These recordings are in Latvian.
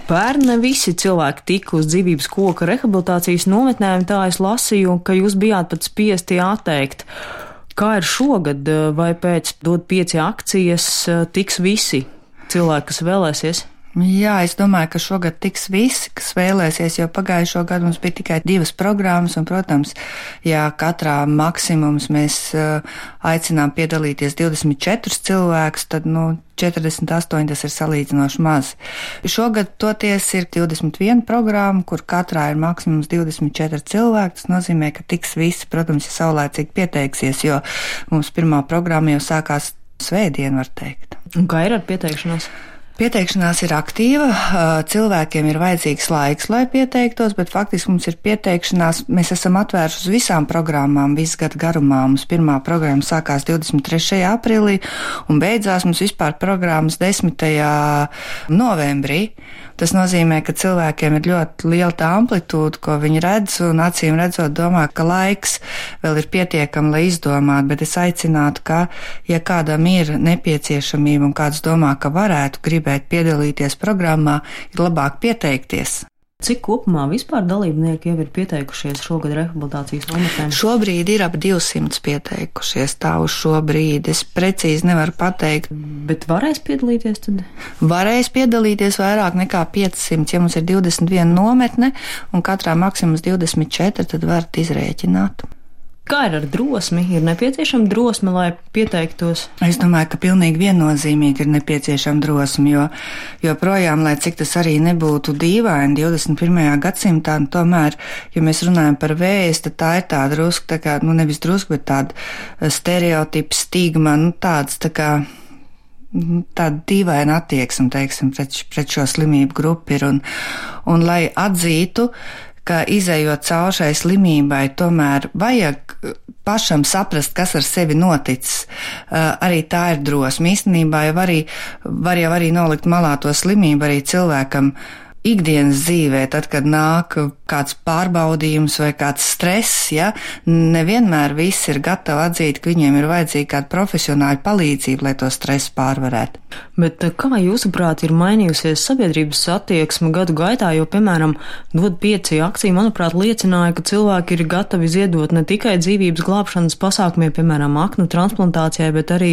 Pērn ne visi cilvēki tika uz dzīvības koka rehabilitācijas nometnēm, tā es lasīju, ka jūs bijāt pat spiesti atteikt. Kā ir šogad, vai pēc dod 5 akcijas tiks visi cilvēki, kas vēlēsies? Jā, es domāju, ka šogad tiks visi, kas vēlēsies, jo pagājušo gadu mums bija tikai 2 programmas, un, protams, ja katrā maksimums mēs aicinām piedalīties 24 cilvēkus, tad, 48 tas ir salīdzinoši maz. Šogad toties ir 21 programma, kur katrā ir maksimums 24 cilvēki. Tas nozīmē, ka tiks visi, protams, ja saulēcīgi pieteiksies, jo mums pirmā programma jau sākās svētdien, var teikt. Un kā ir ar pieteikšanos? Pieteikšanās ir aktīva, cilvēkiem ir vajadzīgs laiks, lai pieteiktos, bet faktiski mums ir pieteikšanās, mēs esam atvēruši uz visām programmām visu gadu garumā. Mums pirmā programma sākās 23. aprīlī un beidzās mums vispār programmas 10. novembrī. Tas nozīmē, ka cilvēkiem ir ļoti liela tā amplitūda, ko viņi redz, un acīm redzot domā, ka laiks vēl ir pietiekami, lai izdomātu, bet es aicinātu, ka, ja kādam ir nepieciešamība un kāds domā, ka varētu gribēt piedalīties programmā, ir labāk pieteikties. Cik kopumā vispār dalībnieki jau ir pieteikušies šogad rehabilitācijas nometnēm? Šobrīd ir ap 200 pieteikušies, tā uz šo brīdi. Es precīzi nevaru pateikt. Bet varēs piedalīties tad? Varēs piedalīties vairāk nekā 500. Ja mums ir 21 nometne un katrā maksimums 24, tad varat izrēķināt. Kā ir ar drosmi? Ir nepieciešama drosme, lai pieteiktos? Es domāju, ka pilnīgi viennozīmīgi ir nepieciešama drosme, jo projām, lai cik tas arī nebūtu dīvaini 21. gadsimtā, tomēr, ja mēs runājam par vēzi, tad tā ir tāda drusku, tā kā, nevis drusku, bet tāda stereotipa, stigma, tāds tā kā tāda dīvaina attieksme, teiksim, pret šo slimību grupu ir, un lai atzītu, ka izējot cauri šai slimībai, tomēr vajag pašam saprast, kas ar sevi noticis. Arī tā ir drosme. Īstenībā var jau arī nolikt malā to slimību arī cilvēkam ikdienas dzīvē, tad, kad nāk kāds pārbaudījums vai kāds stress, ja, nevienmēr visi ir gatavi atzīt, ka viņiem ir vajadzīga kāda profesionāla palīdzība, lai to stresu pārvarētu. Bet kā jūsuprāt ir mainījusies sabiedrības attieksme gadu gaitā, jo, piemēram, dod 5 akcija, manuprāt, liecināja, ka cilvēki ir gatavi ziedot ne tikai dzīvības glābšanas pasākumiem, piemēram, aknu transplantācijai, bet arī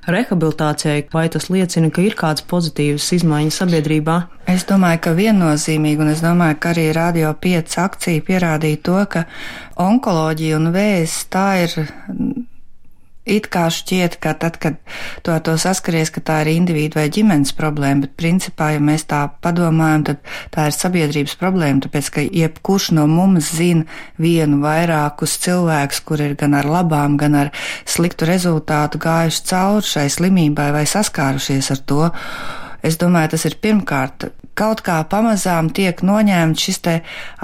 rehabilitācijai. Vai tas liecina, ka ir kāds pozitīvs izmaiņas sabiedrībā? Es domāju, ka viennozīmīgi, un es domāju, ka arī Radio 5 akcija pierādīja to, ka onkoloģija un vēzis tā ir it kā šķiet, ka tad, kad to saskaries, ka tā ir individu vai ģimenes problēma, bet principā, ja mēs tā padomājam, tad tā ir sabiedrības problēma, tāpēc, ka jebkurš no mums zina vienu vairākus cilvēkus, kur ir gan ar labām, gan ar sliktu rezultātu gājuši cauri šai slimībai vai saskārušies ar to. Es domāju, tas ir pirmkārt, kaut kā pamazām tiek noņemts šis te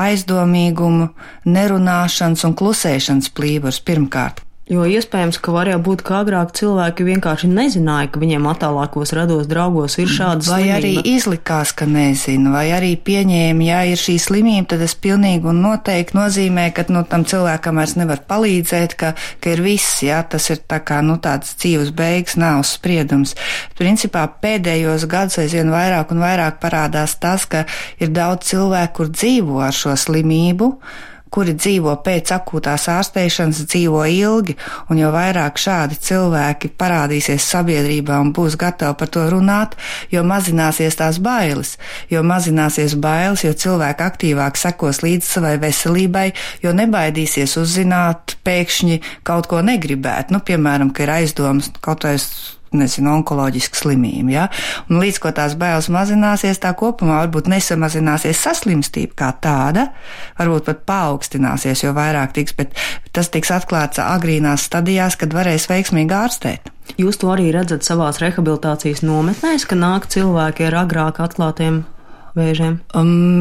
aizdomīgumu, nerunāšanas un klusēšanas plīvurs pirmkārt. Jo iespējams, ka var jau būt, ka agrāk cilvēki vienkārši nezināja, ka viņiem attālākos rados draugos ir šāda slimība. Vai arī izlikās, ka nezina, vai arī pieņēma, ja ir šī slimība, tad tas pilnīgi un noteikti nozīmē, ka tam cilvēkam vairs nevar palīdzēt, ka ir viss, ja, tas ir tā kā, tāds dzīves beigas, nav spriedums. Principā pēdējos gadus aizvien vairāk un vairāk parādās tas, ka ir daudz cilvēku, kur dzīvo ar šo slimību, kuri dzīvo pēc akūtās ārstēšanas, dzīvo ilgi, un jo vairāk šādi cilvēki parādīsies sabiedrībā un būs gatavi par to runāt, jo mazināsies tās bailes. Jo mazināsies bailes, jo cilvēki aktīvāk sekos līdz savai veselībai, jo nebaidīsies uzzināt pēkšņi kaut ko negribēt. Piemēram, ka ir aizdomas kaut vai onkoloģiska slimība, ja? Un līdz ko tās bailes mazināsies, tā kopumā varbūt nesamazināsies saslimstība kā tāda, varbūt pat paaugstināsies, jo vairāk tiks, bet tas tiks atklāts agrīnās stadijās, kad varēs veiksmīgi ārstēt. Jūs to arī redzat savās rehabilitācijas nometnēs, ka nāk cilvēki ar agrāk atklātiem vēžiem?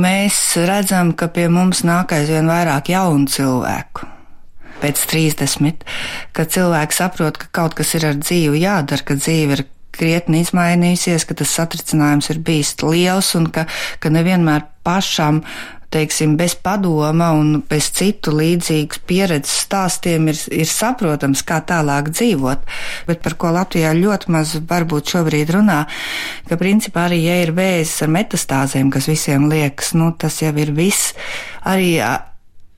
Mēs redzam, ka pie mums nāk aizvien vairāk jaunu cilvēku. Pēc 30, kad cilvēki saprot, ka kaut kas ir ar dzīvi jādara, ka dzīve ir krietni izmainījusies, ka tas satricinājums ir bijis liels un ka nevienmēr pašam teiksim, bez padoma un bez citu līdzīgas pieredzes stāstiem ir saprotams, kā tālāk dzīvot. Bet par ko Latvijā ļoti maz varbūt šobrīd runā, ka principā arī, ja ir vēzis ar metastāzēm, kas visiem liekas, tas jau ir viss, arī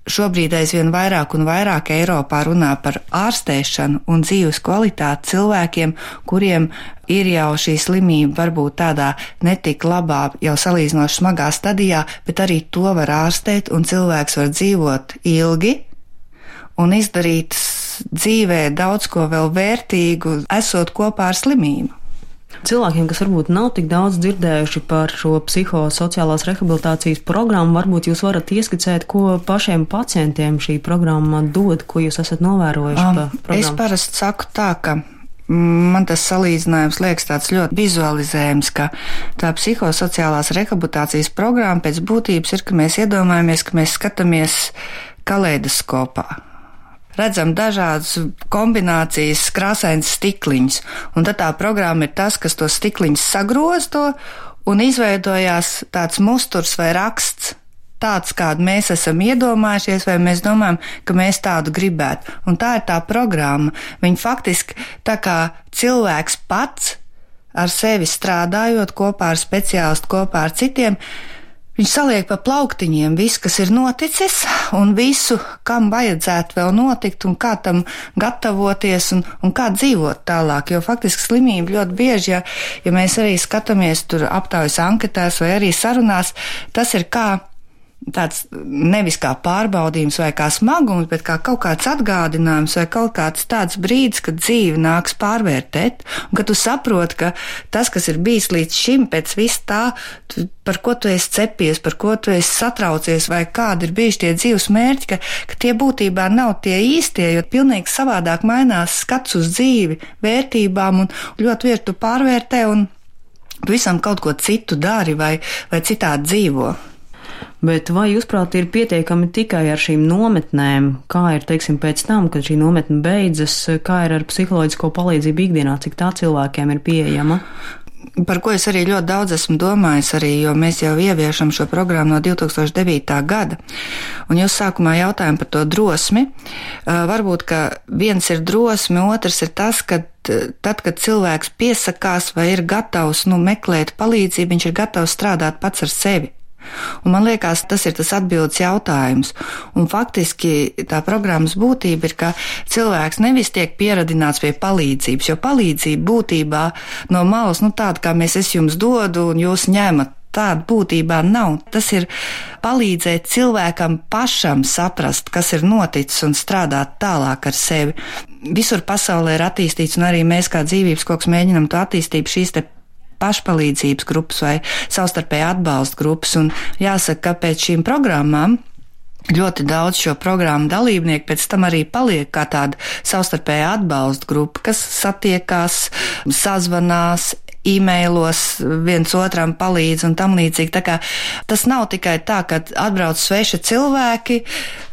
šobrīd aizvien vairāk un vairāk Eiropā runā par ārstēšanu un dzīves kvalitāti cilvēkiem, kuriem ir jau šī slimība varbūt tādā netik labā, jau salīdzinoši smagā stadijā, bet arī to var ārstēt un cilvēks var dzīvot ilgi un izdarīt dzīvē daudz ko vēl vērtīgu, esot kopā ar slimību. Cilvēkiem, kas varbūt nav tik daudz dzirdējuši par šo psihosociālās rehabilitācijas programmu, varbūt jūs varat ieskicēt, ko pašiem pacientiem šī programma dod, ko jūs esat novērojuši pa programmu? Es parasti saku tā, ka man tas salīdzinājums liekas tāds ļoti vizualizējams, ka tā psihosociālās rehabilitācijas programma pēc būtības ir, ka mēs iedomājamies, ka mēs skatāmies kaleidoskopā. Redzam dažādas kombinācijas, krāsains stikliņus, un tad tā programma ir tas, kas to stikliņus sagrozto, un izveidojās tāds musturs vai raksts, tāds, kādu mēs esam iedomājušies, vai mēs domājam, ka mēs tādu gribētu. Un tā ir tā programma. Viņa faktiski tā kā cilvēks pats ar sevi strādājot kopā ar speciālistu, kopā ar citiem, viņš saliek pa plauktiņiem visu, kas ir noticis, un visu, kam vajadzētu vēl notikt, un kā tam gatavoties, un kā dzīvot tālāk. Jo faktiski slimība ļoti bieži, ja mēs arī skatāmies tur aptaujas anketās vai arī sarunās, tas ir kā tāds nevis kā pārbaudījums vai kā smagums, bet kā kaut kāds atgādinājums vai kaut kāds tāds brīdis, kad dzīve nāks pārvērtēt, un kad tu saproti, ka tas, kas ir bijis līdz šim pēc viss tā, par ko tu esi cepies, par ko tu esi satraucies, vai kādi ir bijuši tie dzīves mērķi, ka tie būtībā nav tie īstie, jo pilnīgi savādāk mainās skats uz dzīvi, vērtībām, un ļoti vietu tu pārvērtē, un visam kaut ko citu dari vai citādi dzīvo. Bet vai jūsprāt ir pietiekami tikai ar šīm nometnēm? Kā ir, teiksim, pēc tam, kad šī nometne beidzas, kā ir ar psiholoģisko palīdzību ikdienā, cik tā cilvēkiem ir pieejama? Par ko es arī ļoti daudz esmu domājis arī, jo mēs jau ieviešam šo programmu no 2009. gada. Un jūs sākumā jautājām par to drosmi. Varbūt, ka viens ir drosmi, otrs ir tas, ka tad, kad cilvēks piesakās vai ir gatavs meklēt palīdzību, viņš ir gatavs strādāt pats ar sevi. Un man liekas, tas ir tas atbildes jautājums. Un faktiski tā programmas būtība ir, ka cilvēks nevis tiek pieradināts pie palīdzības, jo palīdzība būtībā no malas, tāda, kā es jums dodu un jūs ņemat, tāda būtībā nav. Tas ir palīdzēt cilvēkam pašam saprast, kas ir noticis un strādāt tālāk ar sevi. Visur pasaulē ir attīstīts, un arī mēs kā dzīvības koks mēģinam to attīstīt šīs te pašpalīdzības grupas vai savstarpēja atbalsta grupas, un jāsaka, ka pēc šīm programmām ļoti daudz šo programmu dalībnieku pēc tam arī paliek kā tāda savstarpēja atbalsta grupa, kas satiekās, sazvanās, e-mailos viens otram palīdz un tam līdzīgi. Tā kā tas nav tikai tā, ka atbrauc sveši cilvēki,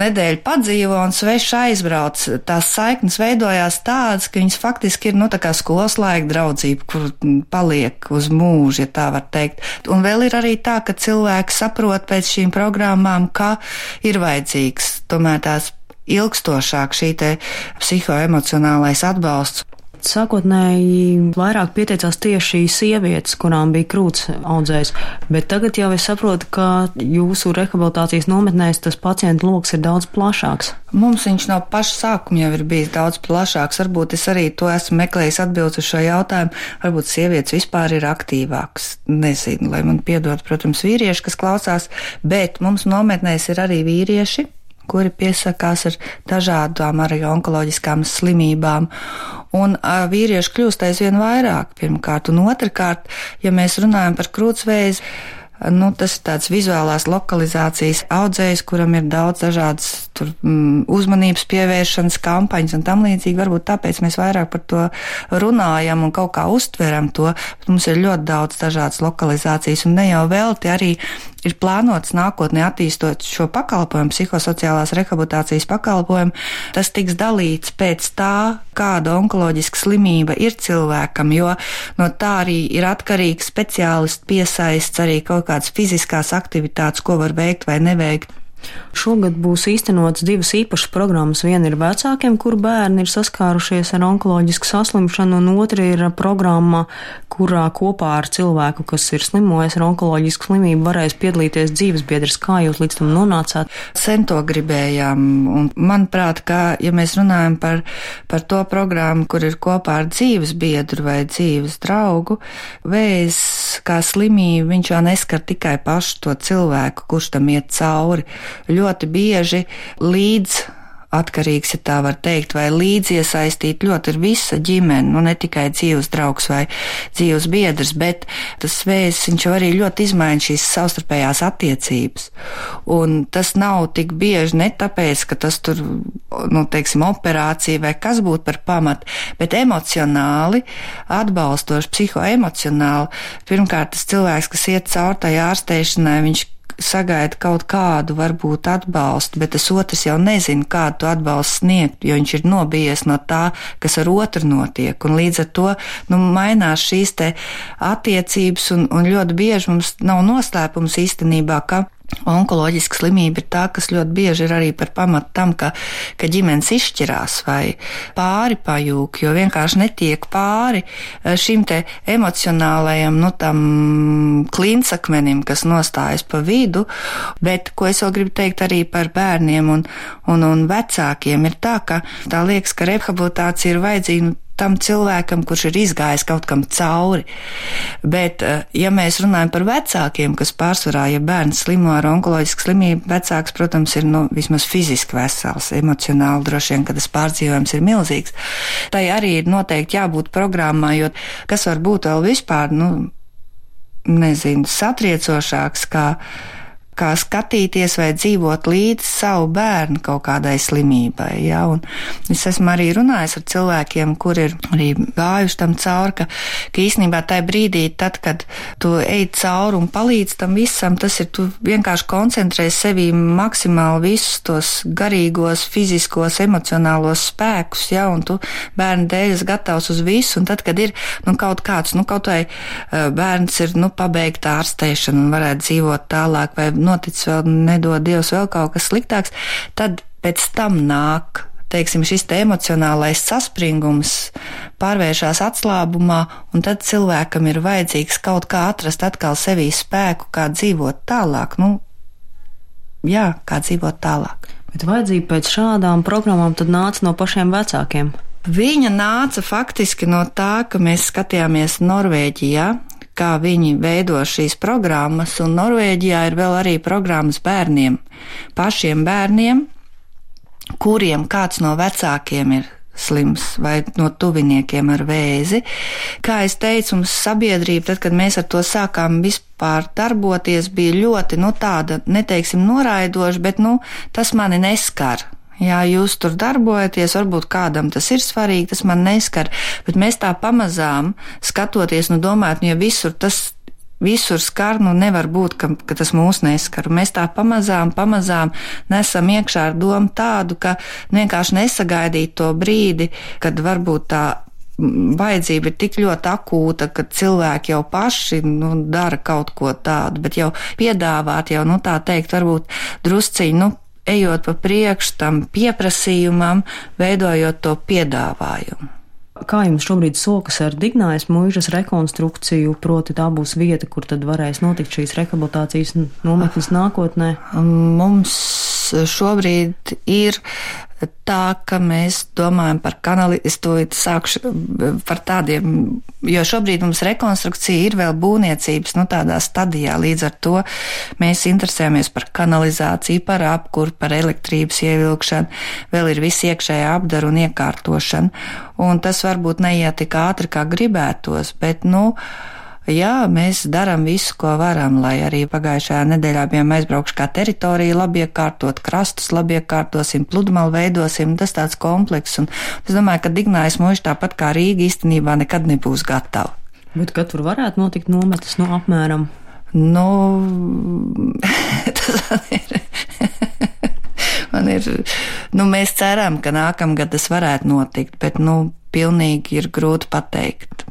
nedēļu padzīvo un sveši aizbrauc. Tās saiknes veidojās tādas, ka viņas faktiski ir, tā kā skolas laika draudzība, kur paliek uz mūžu, ja tā var teikt. Un vēl ir arī tā, ka cilvēki saprot pēc šīm programmām, ka ir vajadzīgs tomēr tās ilgstošāk šī te psihoemocionālais atbalsts. Sākotnēji vairāk pieteicās tieši sievietes, kurām bija krūts audzējs, bet tagad jau es saprotu, ka jūsu rehabilitācijas nometnēs tas pacientu loks ir daudz plašāks. Mums viņš no paša sākuma jau ir bijis daudz plašāks. Varbūt es arī to esmu meklējis atbildes uz šo jautājumu. Varbūt sievietes vispār ir aktīvāks. Nezinu, lai man piedod, protams, vīrieši, kas klausās, bet mums nometnēs ir arī vīrieši, kuri piesakās ar dažādām arī onkoloģiskām slimībām. Un vīrieši kļūst aizvien vairāk, pirmkārt. Un otrkārt, ja mēs runājam par krūtsvēzi, tas ir tāds vizuālās lokalizācijas audzējs, kuram ir daudz dažādas uzmanības pievēršanas kampaņas un tam līdzīgi. Varbūt tāpēc mēs vairāk par to runājam un kaut kā uztveram to. Mums ir ļoti daudz dažādas lokalizācijas, un ne jau velti arī ir plānots nākotnē attīstot šo pakalpojumu, psihosociālās rehabilitācijas pakalpojumu, tas tiks dalīts pēc tā, kāda onkoloģiska slimība ir cilvēkam, jo no tā arī ir atkarīgs speciālists piesaists, arī kaut kādas fiziskās aktivitātes, ko var veikt vai neveikt. Šogad būs īstenots 2 īpašas programmas. Viena ir vecākiem, kur bērni ir saskārušies ar onkoloģisku saslimšanu, un otra ir programma, kurā kopā ar cilvēku, kas ir slimojis ar onkoloģisku slimību, varēs piedalīties dzīvesbiedrs. Kā jūs līdz tam nonācāt? Sen to gribējām, un manuprāt, ka, ja mēs runājam par to programmu, kur ir kopā ar dzīvesbiedru vai dzīves draugu, vēzis kā slimība, viņš jau neskar tikai pašu to cilvēku, kurš tam iet cauri. Ļoti bieži līdz atkarīgs, ja tā var teikt, vai līdz iesaistīt ļoti ir visa ģimene, nu ne tikai dzīves draugs vai dzīves biedrs, bet tas vēzis, viņš arī ļoti izmaina šīs savstarpējās attiecības. Un tas nav tik bieži ne tāpēc, ka tas tur, nu, teiksim, operācija vai kas būtu par pamatu, bet emocionāli, atbalstoši, psihoemocionāli. Pirmkārt, tas cilvēks, kas iet caur tai ārstēšanai, viņš sagaida kaut kādu varbūt atbalstu, bet tas otrs jau nezina, kādu atbalstu sniegt, jo viņš ir nobijies no tā, kas ar otru notiek. Un līdz ar to, nu, mainās šīs te attiecības, un ļoti bieži mums nav noslēpums īstenībā, ka onkoloģiska slimība ir tā, kas ļoti bieži ir arī par pamatu tam, ka ģimenes izšķirās vai pāri pajūk, jo vienkārši netiek pāri šim te emocionālajam, nu, tam klinsakmenim, kas nostājas pa vidu, bet, ko es vēl gribu teikt arī par bērniem un vecākiem, ir tā, ka tā liekas, ka rehabilitācija ir vajadzīga tam cilvēkam, kurš ir izgājis kaut kam cauri. Bet, ja mēs runājam par vecākiem, kas pārsvarā, ja bērns slimo ar onkoloģisku slimību, vecāks, protams, ir, nu, vismaz fiziski vesels, emocionāli droši vien, ka tas pārdzīvojums ir milzīgs. Tai arī ir noteikti jābūt programmā, jo kas var būt vēl vispār, nu, nezinu, satriecošāks, kā skatīties vai dzīvot līdz savu bērnu kaut kādai slimībai, ja, un es esmu arī runājis ar cilvēkiem, kur ir arī gājuši tam cauri, ka īstenībā tajā brīdī, tad, kad tu ej cauri un palīdz tam visam, tas ir, tu vienkārši koncentrē sevī maksimāli visus tos garīgos, fiziskos, emocionālos spēkus, ja, un tu bērnu dēļ esi gatavs uz visu, un tad, kad ir, nu, kaut kāds, nu, kaut vai bērns ir, nu, pabeigta ārstēšana un varētu dzīvot tālāk, vai noticis vēl, nedod Dievs, vēl kaut kas sliktāks, tad pēc tam nāk, teiksim, šis te emocionālais saspringums pārvēršās atslābumā, un tad cilvēkam ir vajadzīgs kaut kā atrast atkal sevī spēku, kā dzīvot tālāk, nu, jā, kā dzīvot tālāk. Bet vajadzība pēc šādām programmām tad nāca no pašiem vecākiem? Viņa nāca faktiski no tā, ka mēs skatījāmies Norvēģijā, kā viņi veido šīs programmas, un Norvēģijā ir vēl arī programmas bērniem, pašiem bērniem, kuriem kāds no vecākiem ir slims vai no tuviniekiem ar vēzi. Kā es teicu, mums sabiedrība, tad, kad mēs ar to sākām vispār darboties, bija ļoti, nu, tāda, neteiksim, noraidoša, bet, nu, tas mani neskar. Jā, jūs tur darbojaties, varbūt kādam tas ir svarīgi, tas man neskar, bet mēs tā pamazām skatoties, nu domājot, nu ja visur skar, nu nevar būt, ka tas mūs neskar. Mēs tā pamazām nesam iekšā ar domu tādu, ka vienkārši nesagaidīt to brīdi, kad varbūt tā vajadzība ir tik ļoti akūta, ka cilvēki jau paši, nu, dara kaut ko tādu, bet jau piedāvāt, jau, nu, tā teikt, varbūt drusciņi, nu, ejot pa priekšu tam pieprasījumam, veidojot to piedāvājumu. Kā jums šobrīd sokas ar Dignājas muižas rekonstrukciju, proti tā būs vieta, kur tad varēs notikt šīs rehabilitācijas nometnes nākotnē? Mums šobrīd ir tā, ka mēs domājam par es to sākšu par tādiem, jo šobrīd mums rekonstrukcija ir vēl būvniecības, nu, tādā stadijā, līdz ar to mēs interesējamies par kanalizāciju, par apkuru, par elektrības ievilkšanu, vēl ir viss iekšējā apdara un iekārtošana, un tas varbūt neiet tik ātri, kā gribētos, bet, nu, jā, mēs darām visu, ko varam, lai arī pagājušajā nedēļā bijām aizbraukšu kā teritoriju labi iekārtot, krastus labi iekārtosim, pludmalu veidosim, tas tāds komplekss, un es domāju, ka Dignājas muiža tāpat kā Rīga īstenībā nekad nebūs gatava. Bet kad tur varētu notikt nometnes, no apmēram? Nu, mēs ceram, ka nākamgad tas varētu notikt, bet, pilnīgi ir grūti pateikt.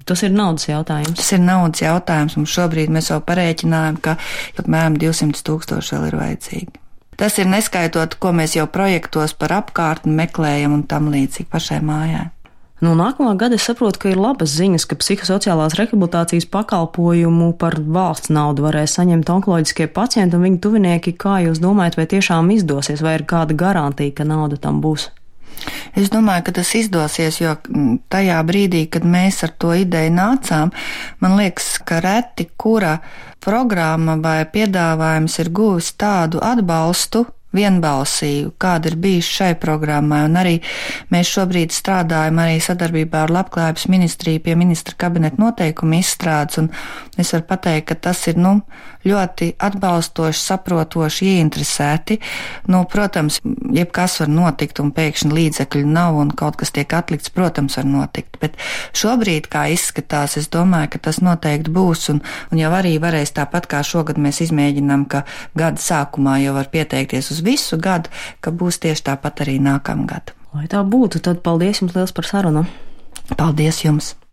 Tas ir naudas jautājums. Tas ir naudas jautājums, un šobrīd mēs jau parēķinājam, ka apmēram 200 000 vēl ir vajadzīgi. Tas ir neskaitot, ko mēs jau projektos par apkārtni meklējam un tam līdzīgi pašai mājai. No nākamā gada es saprotu, ka ir labas ziņas, ka psihosociālās rehabilitācijas pakalpojumu par valsts naudu varēs saņemt onkoloģiskie pacienti un viņu tuvinieki. Kā jūs domājat, vai tiešām izdosies, vai ir kāda garantija, ka nauda tam būs? Es domāju, ka tas izdosies, jo tajā brīdī, kad mēs ar to ideju nācām, man liekas, ka reti kura programma vai piedāvājums ir guvis tādu atbalstu, vienbalsīgu, kāda ir bijusi šai programmai, un arī mēs šobrīd strādājam arī sadarbībā ar Labklājības ministriju pie ministra kabineta noteikumu izstrādes, un es varu pateikt, ka tas ir, ļoti atbalstoši, saprotoši, ieinteresēti. Protams, jebkas var notikt, un pēkšņi līdzekļu nav, un kaut kas tiek atlikts, protams, var notikt, bet šobrīd, kā izskatās, es domāju, ka tas noteikti būs, un jau arī varēs tāpat kā šogad mēs izmēģinām, ka gada sākumā jau var pieteikties uz visu gadu, ka būs tieši tāpat arī nākamgad. Lai tā būtu, tad paldies jums liels par sarunu. Paldies jums!